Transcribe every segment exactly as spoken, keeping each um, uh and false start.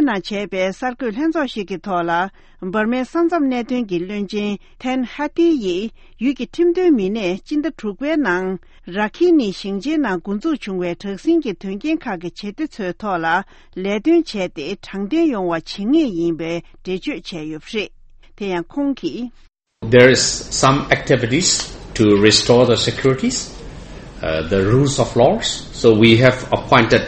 ནང་བྱས་པའི་གསར་འགོད་ལྷན་ཚོགས་ཤིག་གི་ཐོག་ལ། འབར་མའི་ས་མཚམས་གནད་དོན་གྱི་བློན་ཆེན་ཐན་ཧ་ཏི་ཡིས། ཡུལ་གྱི་ཁྲིམས་དོན་མི་སྣས་སྤྱི་ཟླ་དྲུག་པའི་ནང་། ར་ཁི་ནི་ཞིང་ཆེན་ནང་འགོ་འཛུགས་བྱུང་བའི་དྲག་ཟིང་གི་དོན་རྐྱེན་ཁག་གི་བྱེད་གཏེ་ཚོའི་ཐོག་ལ་ལས་དོན་བྱས་ཏེ། དྲང་བདེན་ཡོང་བ་བྱེད་ངེས་ཡིན་པའི་འགྲེལ་བརྗོད་བྱས་ཡོད་པ་རེད། དེ་ཡང་ཁོང་གིས། There is some activities to restore the securities, uh, the rules of laws. So we have appointed,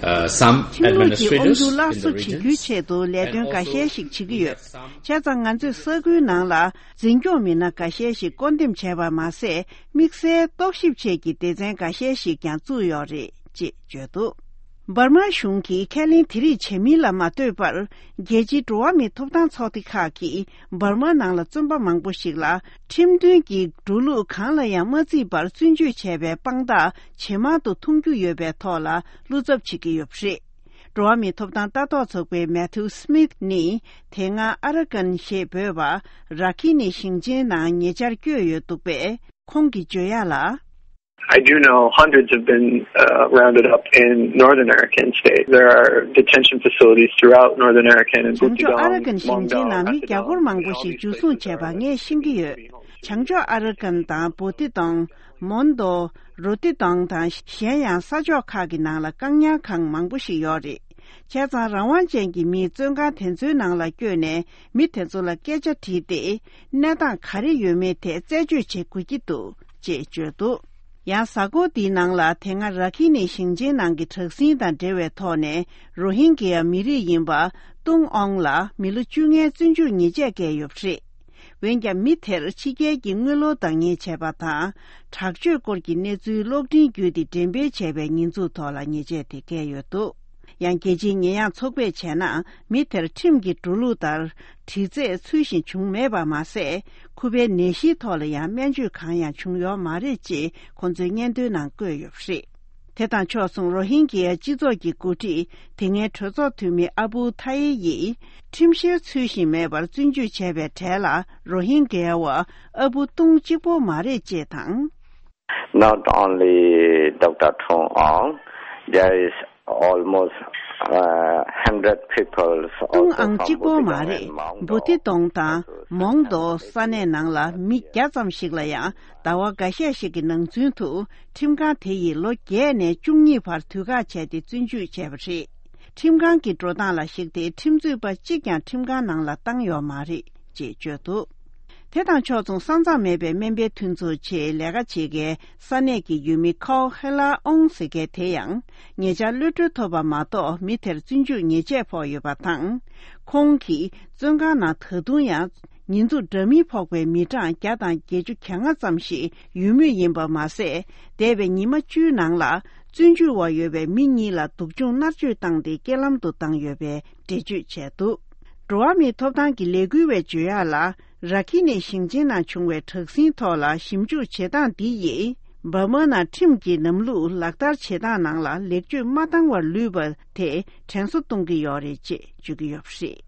uh, some ཁྲིམས་ལུགས་ཀྱི་དབང་སྒྱུར་སླར་གསོ་བྱེད་རྒྱུའི་ཆེད་དུ་ལས་དོན་འགའ་ཤས་ཤིག་བྱེད་ཀྱི་ཡོད། བྱས་ཙང་ང་ཚོས་ས་ཁུལ་ནང་ལ་འཛིན་སྐྱོང་མི་སྣ་འགའ་ཤས་ཤིག་བསྐོ་འདེམས་བྱས་པ་མ་ཟད། དམིགས་བསལ་རྟོག་ཞིབ་ཆེད་ཀྱི་སྡེ་ཚན་འགའ་ཤས་ཤིག་ཀྱང་བཙུགས་ཡོད་རེད་ཅེས་བརྗོད་འདུག་འབར་མ་གཞུང་གིས་ཁས་ལེན་དེ་རིགས་བྱེད་མིན་ལ་མ་ལྟོས་པར། རྒྱལ་སྤྱིའི་འགྲོ་བ་མིའི་ཐོབ་ཐང་ཚོགས་སྡེ་ཁག་གིས་འབར་མ་ནང་ལ་བཙོན་པ་མང་པོ་ཞིག་ལ། ཁྲིམས་མཐུན་གྱི་འགྲོ་ལུགས་གང་ལ་ཡང་མ་བརྩིས་པར་བཙོན་འཇུག་བྱས་པའི་དཔང་རྟགས་ཇེ་མང་དུ་མཐོང་རྒྱུ་ཡོད་པའི་ཐོག་ལ་བློ་འཚབ་བྱེད་ཀྱི་ཡོད་པ་རེད། འགྲོ་བ་མིའི་ཐོབ་ཐང་ལྟ་རྟོག་ཚོགས་པའི་མེ་ཐིའུ་སི་མིད་ནི། དེ་སྔ་ཨ་ར་ཀན་ཞེས་འབོད་པ། ར་ཁི་ནི་ཞིང་ཆེན་ནང་ཉེ་ཆར་བསྐྱོད་ཡོད་འདུག་པས། ཁོང་གིས་བརྗོད་ཡག་ལ། I do know hundreds have been, uh, rounded up in North American states. There are detention facilities throughout North American and བྱང་ཕྱོགས་ཨ་ར་ཀན་ཞིང་ཆེན་ནང་མི་བརྒྱ་སྐོར་མང་པོ་ཞིག་འཇུ་བཟུང་བྱས་པ་ངས་ཤེས་ཀྱི་ཡོད། བྱང་ཕྱོགས་ཨ་ར་ཀན་དང་བོ་ཏི་ཏོང་། མོན་དོ། རོ་ཏི་ཏོང་དང་གཞན་ཡང་ས་ཕྱོགས་ཁག་གི་ནང་ལ་བཀག་ཉར་ཁང་མང་པོ་ཞིག་ཡོད་རེད། བྱས་ཙང་རང་དབང་ཅན་གྱི་མིས་བཙོན་ཁང་དེ་ཚོའི་ནང་ལ་བསྐྱོད་ནས་མི་དེ་ཚོ་ལ་སྐད་ཆ་དྲིས་ཏེ། གནས་སྟངས་ག་རེ་ཡོད་མེད་དེ་རྩད་གཅོད་བྱེད་དགོས་ཀྱི་འདུག་ཅེས་བརྗོད་འདུག་ཡང་གཟའ་འཁོར་འདིའི་ནང་ལ་དེ་སྔ་ར་ཁི་ནི་ཞིང་ཆེན་ནང་གི་དྲག་ཟིང་དང་འབྲེལ་བའི་ཐོག་ནས་རོ་ཧིན་གྱི་ཡ་མི་རིགས་ཡིན་པ་ཏུང་ཨོང་ལ་མི་ལོ་བཅོ་ལྔའི་བཙོན་འཇུག་ཉེས་ཆད་བཀལ་ཡོད་པ་རེད། འོན་ཀྱང་མི་དེར་ཕྱི་རྒྱལ་གྱི་དངུལ་ལོར་བདག་གཉེར་བྱས་པ་དང་། དྲག་སྤྱོད་སྐོར་གྱི་གནས་ཚུལ་གློག་འཕྲིན་བརྒྱུད་དེ་འགྲེམས་སྤེལ་བྱས་པའི་ཉེས་འཛུགས་ཐོག་ལ་ཉེས་ཆད་དེ་བཀལ་ཡོད་འདུག་ཡང་རྒྱལ་སྤྱིའི་ཉེས་ཡངས་ཚོགས་པས་བྱས་ན། མི་དེར་ཁྲིམས་ཀྱི་འགྲོ་ལུགས་ལྟར་དྲི་རྩད་ཚུལ་བཞིན་བྱུང་མེད་པ་མ་ཟད། ཁོ་པའི་ནད་གཞིའི་ཐོག་ལ་ཡང་སྨན་བཅོས་གང་ཡང་བྱུང་ཡོད་མ་རེད་ཅེས་ཁོ་ཚོའི་སྙན་ཐོའི་ནང་བཀོད་ཡོད་པ་རེད། དེ་དང་ཕྱོགས་མཚུངས་རོ་ཧིན་གྱི་སྤྱི་ཚོགས་ཀྱི་འགོ་ཁྲིད་དེ་སྔའི་གྲོས་ཚོགས་འཐུས་མི་ཨ་བུ་ཐ་ཡེ་ཡིས་ཁྲིམས་བཤེར་ཚུལ་བཞིན་མེད་པར་བཙོན་འཇུག་བྱས་པའི་གྲས་ལ་རོ་ཧིན་གྱི་བ་ཨ་བུ་ཏུང་གཅིག་པོ་མ་རེད་ཅེས་དང་། Not only Doctor Tung Aung, there is almost, uh, hundred people also from Bhutan and Mongdo. ཏུང་ཨང་གཅིག་པོ་མ་རེད། བོ་ཏི་ཏོང་དང་མོང་དོ་ས་གནས་ནང་ལ་མི་བརྒྱ་ཙམ་ཞིག་ལ་ཡང་ཟླ་བ་འགའ་ཤས་ཤིག་གི་ནང་ཚུན་དུ་ཁྲིམས་ཁང་དེ་ཡིས་ལོ་བརྒྱད་ནས་བཅུ་གཉིས་བར་དུས་བཀག་བྱས་ཏེ་བཙོན་འཇུག་བྱས་པ་རེད། ཁྲིམས་ཁང་གི་འགྲོ་སྟངས་ལ་གཞིགས་ཏེ་ཁྲིམས་རྩོད་པ་གཅིག་ཀྱང་ཁྲིམས་ཁང་ནང་ལ་བཏང་ཡོད་མ་རེད་ཅེས་བརྗོད་འདུག་དེ་དང་ཕྱོགས་མཚུངས་ས་མཚམས་མེད་པའི་སྨན་པའི་མཐུན་ཚོགས་ཆེད་ལས་ཀ་བྱེད་མཁན་ས་གནས་ཀྱི་ཡུལ་མི་ཁའོ་ཧེ་ལ་ཨོང་ཟེར་མཁན་དེ་ཡང་ཉེ་ཆར་གློད་གྲོལ་ཐོབ་པ་མ་གཏོགས་མི་དེར་བཙོན་འཇུག་ཉེས་ཆད་ཕོག་ཡོད་པ་དང་། ཁོང་གིས་བཙོན་ཁང་ནང་ད་དུང་ཡང་ཉེས་འཛུགས་འདྲ་མིན་ཕོག་པའི་མི་གྲངས་བརྒྱ་དང་བརྒྱད་ཅུ་གྱ་ལྔ་ཙམ་ཞིག་ཡོད་མུས་ཡིན་པ་མ་ཟད། འདས་པའི་ཉི་མ་བཅུའི་ནང་ལ་བཙོན་འཇུག་འོག་ཡོད་པའི་མི་གཉིས་ལ་སྡུག་སྦྱོང་མནར་གཅོད་བཏང་སྟེ་རྐྱེན་ལམ་དུ་བཏང་ཡོད་པའི་འགྲེལ་བརྗོད་བྱས་འདུག་འགྲོ་བ་མིའི་ཐོབ་ཐང་གི་ལས་འགུལ་བས་བརྗོད་ཡག་ལ། ར་ཁི་ནི་ཞིང་ཆེན་ནང་བྱུང་བའི་དྲག་ཟིང་ཐོག་ལ་ཞིབ་འཇུག་བྱེད་སྟངས་འདི་ཡིས། འབར་མ་ནང་ཁྲིམས་ཀྱི་ལམ་ལུགས་ལག་བསྟར་བྱེད་སྟངས་ནང་ལ་ལེགས་བཅོས་མ་བཏང་བར་ལུས་པ་དེ་དྲན་གསོ་གཏོང་གི་ཡོད་རེད་ཅེས་བརྗོད་ཀྱི་ཡོད་པ་རེད།